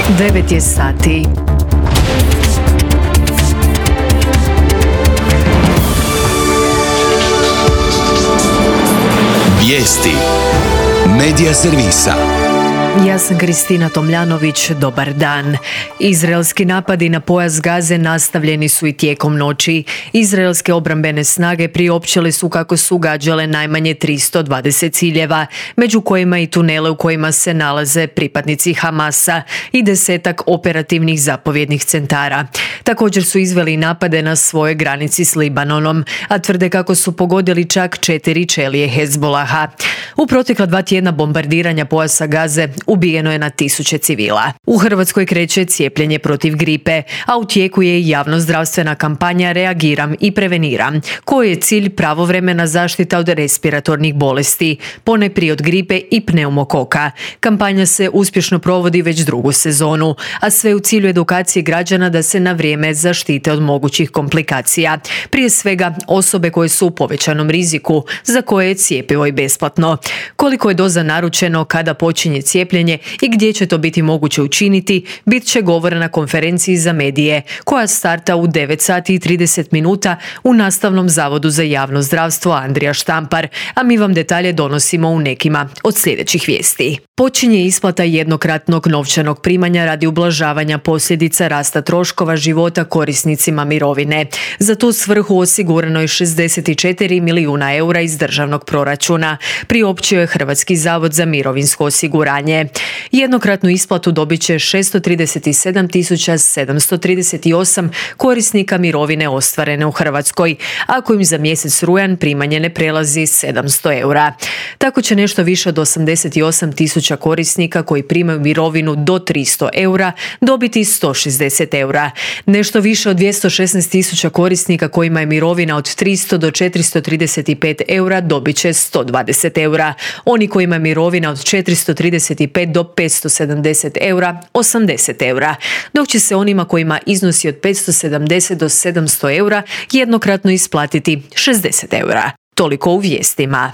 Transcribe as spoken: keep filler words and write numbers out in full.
devet je sati. Vijesti Medija servisa. Ja sam Kristina Tomljanović, dobar dan. Izraelski napadi na pojas Gaze nastavljeni su i tijekom noći. Izraelske obrambene snage priopćile su kako su gađale najmanje tristo dvadeset ciljeva, među kojima i tunele u kojima se nalaze pripadnici Hamasa i desetak operativnih zapovjednih centara. Također su izveli napade na svojoj granici s Libanonom, a tvrde kako su pogodili čak četiri čelije Hezbolaha. U protekla dva tjedna bombardiranja pojasa Gaze ubijeno je na tisuće civila. U Hrvatskoj kreće cijepljenje protiv gripe, a u tijeku je i javnozdravstvena kampanja Reagiram i preveniram, koji je cilj pravovremena zaštita od respiratornih bolesti, ponajprije od gripe i pneumokoka. Kampanja se uspješno provodi već drugu sezonu, a sve u cilju edukacije građana da se na vrijeme zaštite od mogućih komplikacija. Prije svega osobe koje su u povećanom riziku, za koje je cjepivo i besplatno. Koliko je doza naručeno, kada počinje cijepljenje i gdje će to biti moguće učiniti, bit će govora na konferenciji za medije, koja starta u devet sati i trideset minuta u Nastavnom zavodu za javno zdravstvo Andrija Štampar, a mi vam detalje donosimo u nekima od sljedećih vijesti. Počinje isplata jednokratnog novčanog primanja radi ublažavanja posljedica rasta troškova života korisnicima mirovine. Za tu svrhu osigurano je šezdeset četiri milijuna eura iz državnog proračuna, priopćio je Hrvatski zavod za mirovinsko osiguranje. Jednokratnu isplatu dobit će šesto trideset sedam tisuća sedamsto trideset osam korisnika mirovine ostvarene u Hrvatskoj, ako im za mjesec rujan primanje ne prelazi sedamsto eura. Tako će nešto više od osamdeset osam tisuća korisnika koji primaju mirovinu do tristo eura dobiti sto šezdeset eura. Nešto više od dvjesto šesnaest tisuća korisnika kojima je mirovina od tristo do četiristo trideset pet eura dobit će sto dvadeset eura. Oni kojima je mirovina od četiristo trideset pet do petsto sedamdeset eura osamdeset eura, dok će se onima kojima iznosi od petsto sedamdeset do sedamsto eura jednokratno isplatiti šezdeset eura. Toliko u vijestima.